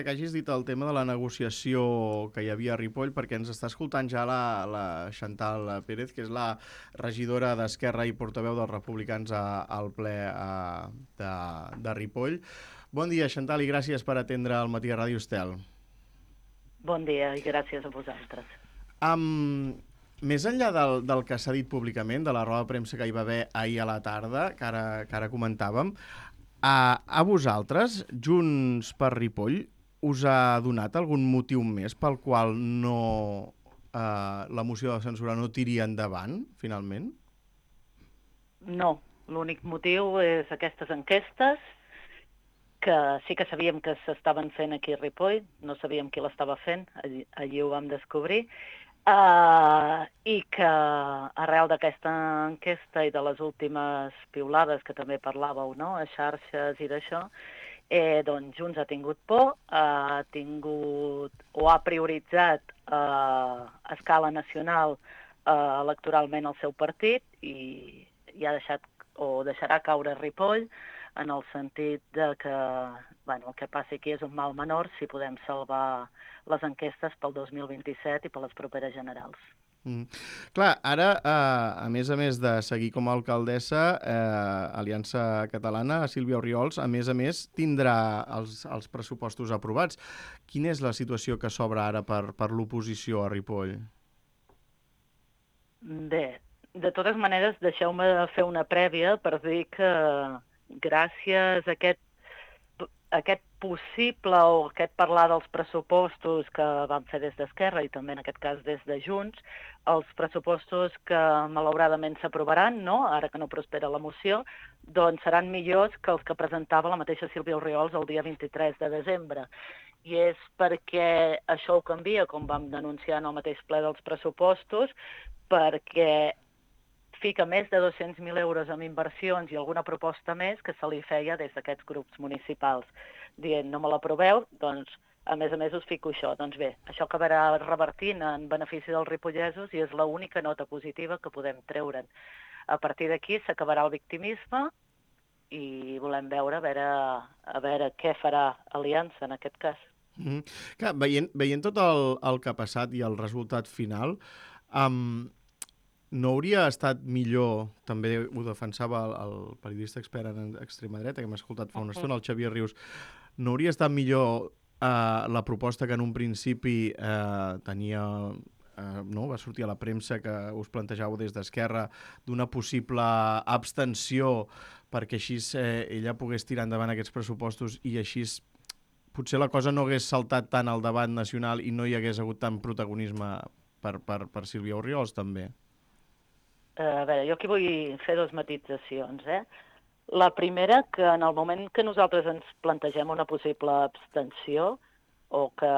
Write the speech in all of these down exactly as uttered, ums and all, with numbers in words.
que hagis dit el tema de la negociació que hi havia a Ripoll, perquè ens està escoltant ja la, la Chantal Pérez, que és la regidora d'Esquerra i portaveu dels republicans a, al ple a, de, de Ripoll. Bon dia, Chantal, i gràcies per atendre el Matí a Ràdio Estel. Bon dia i gràcies a vosaltres. Um, més enllà del, del que s'ha dit públicament, de la roda de premsa que hi va haver ahir a la tarda, que ara, que ara comentàvem, a, a vosaltres, Junts per Ripoll, us ha donat algun motiu més pel qual no eh, la moció de censura no tiri endavant, finalment? No, l'únic motiu és aquestes enquestes, que sí que sabíem que s'estaven fent aquí a Ripoll, no sabíem qui l'estava fent, allí, allí ho vam descobrir, uh, i que arrel d'aquesta enquesta i de les últimes piulades que també parlàveu, no?, a xarxes i d'això, Eh, doncs Junts ha tingut por, ha tingut o ha prioritzat eh, a escala nacional eh, electoralment el seu partit i, i ha deixat o deixarà caure Ripoll en el sentit de que bueno, el que passi aquí és un mal menor si podem salvar les enquestes pel dos mil vint-i-set i per les properes generals. Mm. Clar, ara, eh, a més a més de seguir com a alcaldessa, eh, Aliança Catalana, Sílvia Orriols, a més a més, tindrà els, els pressupostos aprovats. Quina és la situació que s'obre ara per, per l'oposició a Ripoll? Bé, de totes maneres, deixeu-me fer una prèvia per dir que gràcies a aquest aquest possible o aquest parlar dels pressupostos que vam fer des d'Esquerra i també en aquest cas des de Junts, els pressupostos que malauradament s'aprovaran, no?, ara que no prospera la moció, doncs seran millors que els que presentava la mateixa Sílvia Orriols el dia vint-i-tres de desembre. I és perquè això ho canvia, com vam denunciar en el mateix ple dels pressupostos, perquè fica més de dos-cents mil euros en inversions i alguna proposta més que se li feia des d'aquests grups municipals, dient no me l'aproveu, doncs a més a més us fico això. Doncs bé, això acabarà revertint en benefici dels ripollesos i és l'única nota positiva que podem treure'n. A partir d'aquí s'acabarà el victimisme i volem veure a veure, a veure què farà Aliança en aquest cas. Mm -hmm. Clar, veient, veient tot el, el que ha passat i el resultat final, um, no hauria estat millor, també ho defensava el, el periodista expert en extrema dreta, que m'ha escoltat fa una estona, el Xavier Rius, no hauria estat millor eh, la proposta que en un principi eh, tenia, eh, no? Va sortir a la premsa que us plantejàveu des d'Esquerra d'una possible abstenció perquè així eh, ella pogués tirar endavant aquests pressupostos i així potser la cosa no hagués saltat tant al debat nacional i no hi hagués hagut tant protagonisme per, per, per Sílvia Orriols, també? A veure, jo aquí vull fer dues matitzacions, eh? La primera, que en el moment que nosaltres ens plantegem una possible abstenció, o que,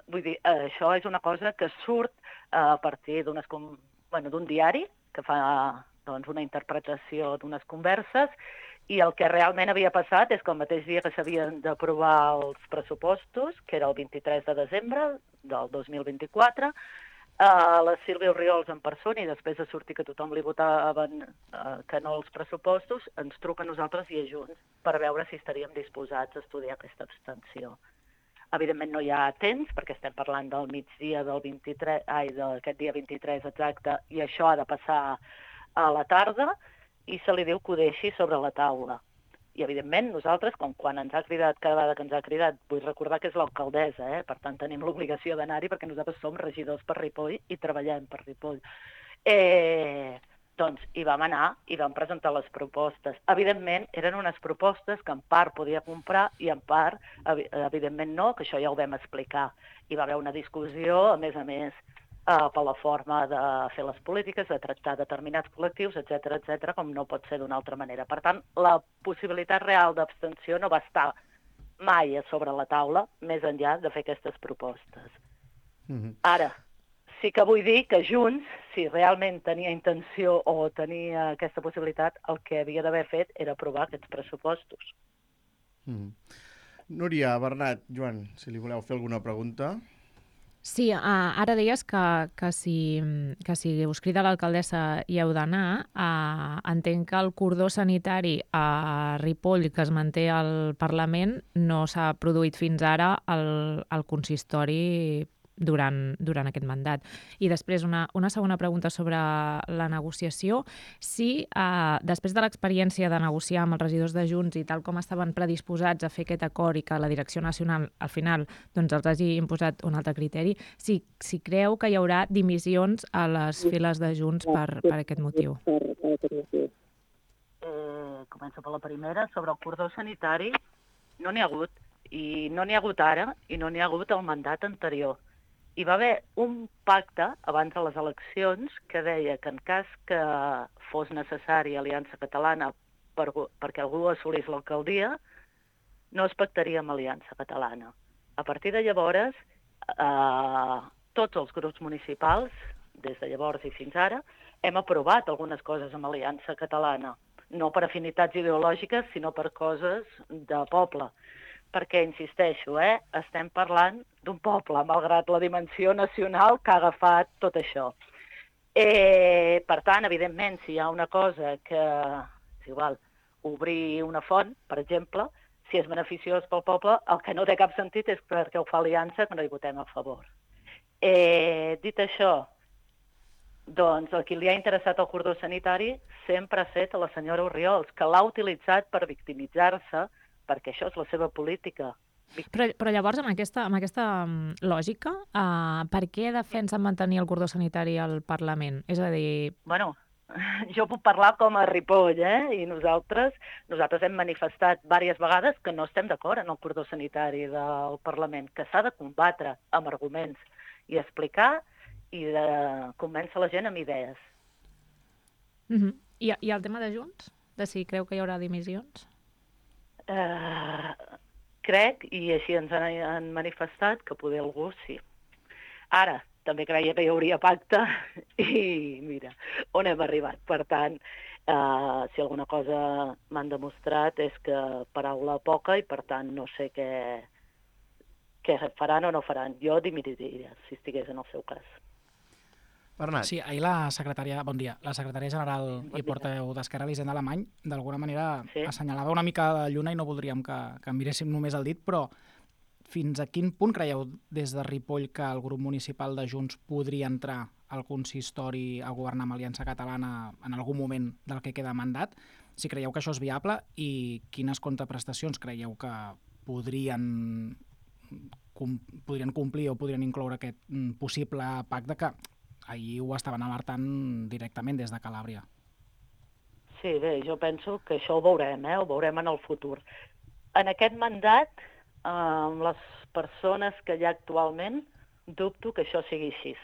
vull dir, això és una cosa que surt a partir d'unes, bueno, d'un diari que fa doncs, una interpretació d'unes converses, i el que realment havia passat és que el mateix dia que s'havien d'aprovar els pressupostos, que era el vint-i-tres de desembre del dos mil vint-i-quatre, Uh, la Sílvia Orriols en persona i després de sortir que tothom li votaven uh, que no als pressupostos, ens truca a nosaltres i a Junts per veure si estaríem disposats a estudiar aquesta abstenció. Evidentment no hi ha temps, perquè estem parlant del migdia del vint-i-tres, ai, d'aquest dia vint-i-tres exacte, i això ha de passar a la tarda, i se li diu que ho deixi sobre la taula. I, evidentment, nosaltres, com quan ens ha cridat, cada vegada que ens ha cridat, vull recordar que és l'alcaldessa, eh? Per tant, tenim l'obligació d'anar-hi perquè nosaltres som regidors per Ripoll i treballem per Ripoll. Eh, doncs hi vam anar i vam presentar les propostes. Evidentment, eren unes propostes que en part podia comprar i en part, evidentment no, que això ja ho vam explicar. Hi va haver una discussió, a més a més, Uh, per la forma de fer les polítiques, de tractar determinats col·lectius, etcètera, etcètera, com no pot ser d'una altra manera. Per tant, la possibilitat real d'abstenció no va estar mai a sobre la taula, més enllà de fer aquestes propostes. Mm-hmm. Ara, sí que vull dir que Junts, si realment tenia intenció o tenia aquesta possibilitat, el que havia d'haver fet era aprovar aquests pressupostos. Mm-hmm. Núria, Bernat, Joan, si li voleu fer alguna pregunta... Sí, uh, ara deies que, que, si, que si us crida l'alcaldessa hi heu d'anar. Uh, entenc que el cordó sanitari a Ripoll, que es manté al Parlament, no s'ha produït fins ara al, al consistori durant, durant aquest mandat. I després una, una segona pregunta sobre la negociació. Si uh, després de l'experiència de negociar amb els regidors de Junts i tal com estaven predisposats a fer aquest acord i que la direcció nacional al final doncs, els hagi imposat un altre criteri, si, si creu que hi haurà dimissions a les files de Junts per, per aquest motiu. Eh, començo per la primera. Sobre el cordó sanitari no n'hi ha hagut. I no n'hi ha hagut ara i no n'hi ha hagut el mandat anterior. Hi va haver un pacte abans de les eleccions que deia que en cas que fos necessari Aliança Catalana per, perquè algú assolís l'alcaldia, no es pactaria amb Aliança Catalana. A partir de llavors, eh, tots els grups municipals, des de llavors i fins ara, hem aprovat algunes coses amb Aliança Catalana. No per afinitats ideològiques, sinó per coses de poble. Perquè, insisteixo, eh, estem parlant d'un poble, malgrat la dimensió nacional que ha agafat tot això. Eh, per tant, evidentment, si hi ha una cosa que, és igual, obrir una font, per exemple, si és beneficiós pel poble, el que no té cap sentit és perquè ho fa Aliança, que no hi votem a favor. Eh, dit això, doncs el qui li ha interessat el cordó sanitari sempre ha estat la senyora Orriols, que l'ha utilitzat per victimitzar-se, perquè això és la seva política. Però, però llavors, amb aquesta, amb aquesta lògica, uh, per què defensen mantenir el cordó sanitari al Parlament? És a dir... Bueno, jo puc parlar com a Ripoll, eh? I nosaltres, nosaltres hem manifestat diverses vegades que no estem d'acord en el cordó sanitari del Parlament, que s'ha de combatre amb arguments i explicar i de convèncer la gent amb idees. Uh-huh. I, I el tema de Junts? De si creu que hi haurà dimissions? Uh, crec, i així ens han, han manifestat, que poder algú sí. Ara, també creia que hi hauria pacte i mira, on hem arribat. Per tant, uh, si alguna cosa m'han demostrat és que paraula poca i per tant no sé què, què faran o no faran. Jo dimitiria si estigués en el seu cas. Bernat. Sí, ahir la secretària, bon dia, la secretària general bon i portaveu d'Esquerra, Elisenda Alemany, d'alguna manera sí. assenyalava una mica de lluna i no voldríem que, que miréssim només el dit, però fins a quin punt creieu des de Ripoll que el grup municipal de Junts podria entrar al consistori a governar amb Aliança Catalana en algun moment del que queda mandat? Si creieu que això és viable i quines contraprestacions creieu que podrien, com, podrien complir o podrien incloure aquest possible pacte que ahir ho estaven alertant directament des de Calàbria. Sí, bé, jo penso que això ho veurem, eh? Ho veurem en el futur. En aquest mandat, eh, amb les persones que hi ha actualment, dubto que això sigui així.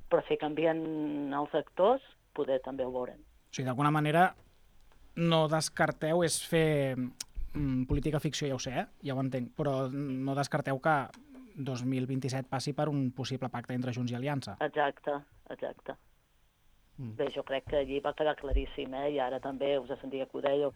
Però si canvien els actors, poder també ho veurem. O sigui, d'alguna manera, no descarteu, és fer mm, política ficció, ja ho sé, eh? Ja ho entenc, però no descarteu que dos mil vint-i-set passi per un possible pacte entre Junts i Aliança. Exacte, exacte. Mm. Bé, jo crec que allí va quedar claríssim, eh? I ara també us sentia que ho dèieu.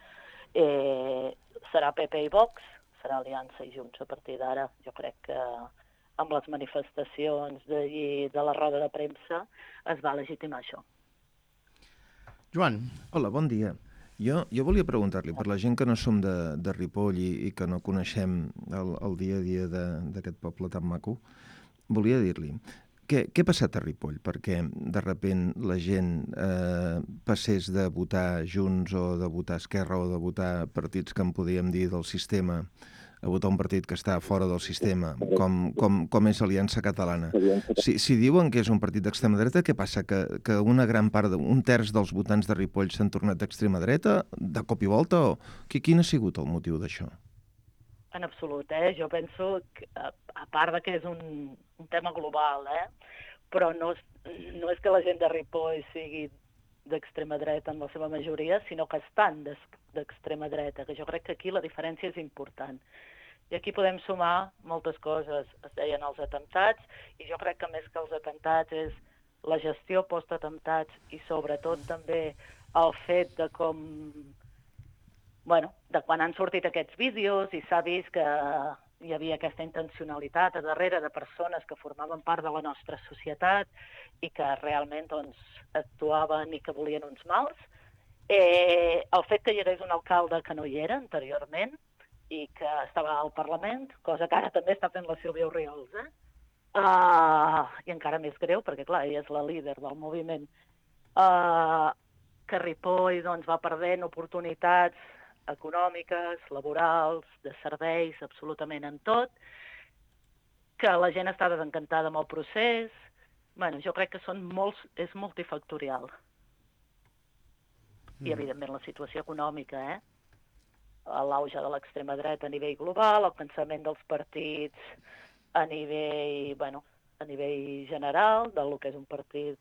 Eh, serà P P i Vox, serà Aliança i Junts a partir d'ara. Jo crec que amb les manifestacions d'allí de la roda de premsa es va legitimar això. Joan. Hola, bon dia. Jo, jo volia preguntar-li, per la gent que no som de, de Ripoll i, i que no coneixem el, el dia a dia d'aquest poble tan maco, volia dir-li, què, què ha passat a Ripoll? Perquè de repent la gent eh, passés de votar Junts o de votar Esquerra o de votar partits que en podíem dir del sistema a votar un partit que està fora del sistema, com, com, com és Aliança Catalana. Si, si diuen que és un partit d'extrema dreta, què passa? Que, que una gran part, de, un terç dels votants de Ripoll s'han tornat d'extrema dreta, de cop i volta? O... Quin ha sigut el motiu d'això? En absolut, eh? Jo penso que, a part de que és un, un tema global, eh? Però no, no és que la gent de Ripoll sigui d'extrema dreta en la seva majoria, sinó que estan d'extrema dreta, que jo crec que aquí la diferència és important. I aquí podem sumar moltes coses. Es deien els atemptats, i jo crec que més que els atemptats és la gestió post-atemptats i sobretot també el fet de com... Bueno, de quan han sortit aquests vídeos i s'ha vist que hi havia aquesta intencionalitat a darrere de persones que formaven part de la nostra societat i que realment doncs, actuaven i que volien uns mals. Eh, el fet que hi hagués un alcalde que no hi era anteriorment i que estava al Parlament, cosa que ara també està fent la Sílvia Oriols, eh? Uh, i encara més greu, perquè clar, ella és la líder del moviment, uh, que Ripoll doncs, va perdent oportunitats econòmiques, laborals, de serveis, absolutament en tot, que la gent està desencantada amb el procés. Bueno, jo crec que són molts, és multifactorial. Mm. I, evidentment, la situació econòmica, eh? L'auge de l'extrema dreta a nivell global, el cansament dels partits a nivell, bueno, a nivell general, del que és un partit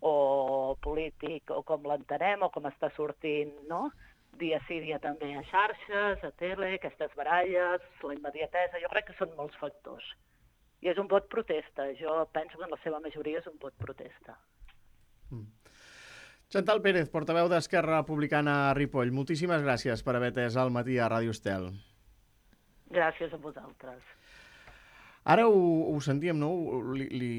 o polític, o com l'entenem, o com està sortint, no?, dia sí, dia també a xarxes, a tele, aquestes baralles, la immediatesa, jo crec que són molts factors. I és un vot protesta, jo penso que en la seva majoria és un vot protesta. Mm. Chantal Pérez, portaveu d'Esquerra Republicana a Ripoll, moltíssimes gràcies per haver atès al matí a Ràdio Estel. Gràcies a vosaltres. Ara ho, ho sentíem, no? Li, li